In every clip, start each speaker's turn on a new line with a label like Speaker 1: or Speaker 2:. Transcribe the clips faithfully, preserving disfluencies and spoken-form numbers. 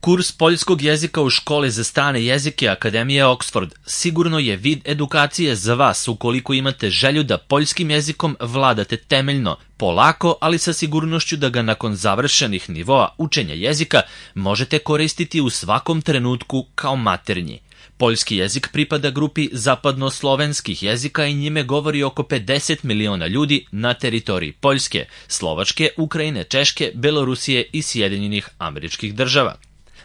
Speaker 1: Kurs poljskog jezika u školi za strane jezike Akademije Oxford sigurno je vid edukacije za vas ukoliko imate želju da poljskim jezikom vladate temeljno, polako, ali sa sigurnošću da ga nakon završenih nivoa učenja jezika možete koristiti u svakom trenutku kao maternji. Poljski jezik pripada grupi zapadnoslovenskih jezika i njime govori oko pedeset miliona ljudi na teritoriji Poljske, Slovačke, Ukrajine, Češke, Belorusije i Sjedinjenih Američkih Država.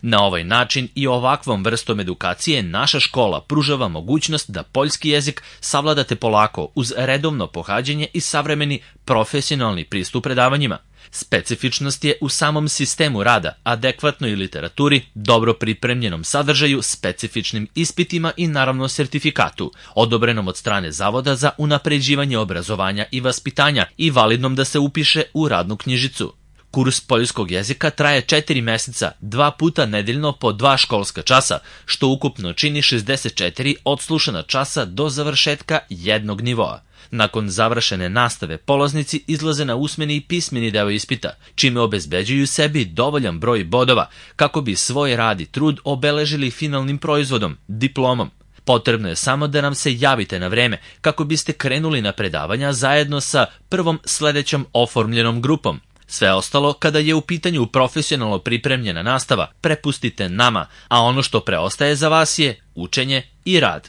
Speaker 1: Na ovaj način i ovakvom vrstom edukacije naša škola pružava mogućnost da poljski jezik savladate polako uz redovno pohađanje i savremeni profesionalni pristup predavanjima. Specifičnost je u samom sistemu rada, adekvatnoj literaturi, dobro pripremljenom sadržaju, specifičnim ispitima i naravno sertifikatu, odobrenom od strane Zavoda za unapređivanje obrazovanja i vaspitanja i validnom da se upiše u radnu knjižicu. Kurs poljskog jezika traje četiri meseca, dva puta nedeljno po dva školska časa, što ukupno čini šezdeset četiri odslušana časa do završetka jednog nivoa. Nakon završene nastave polaznici izlaze na usmeni i pismeni deo ispita, čime obezbeđuju sebi dovoljan broj bodova kako bi svoj rad i trud obeležili finalnim proizvodom, diplomom. Potrebno je samo da nam se javite na vreme kako biste krenuli na predavanja zajedno sa prvom sledećom oformljenom grupom. Sve ostalo, kada je u pitanju profesionalno pripremljena nastava, prepustite nama, a ono što preostaje za vas je učenje i rad.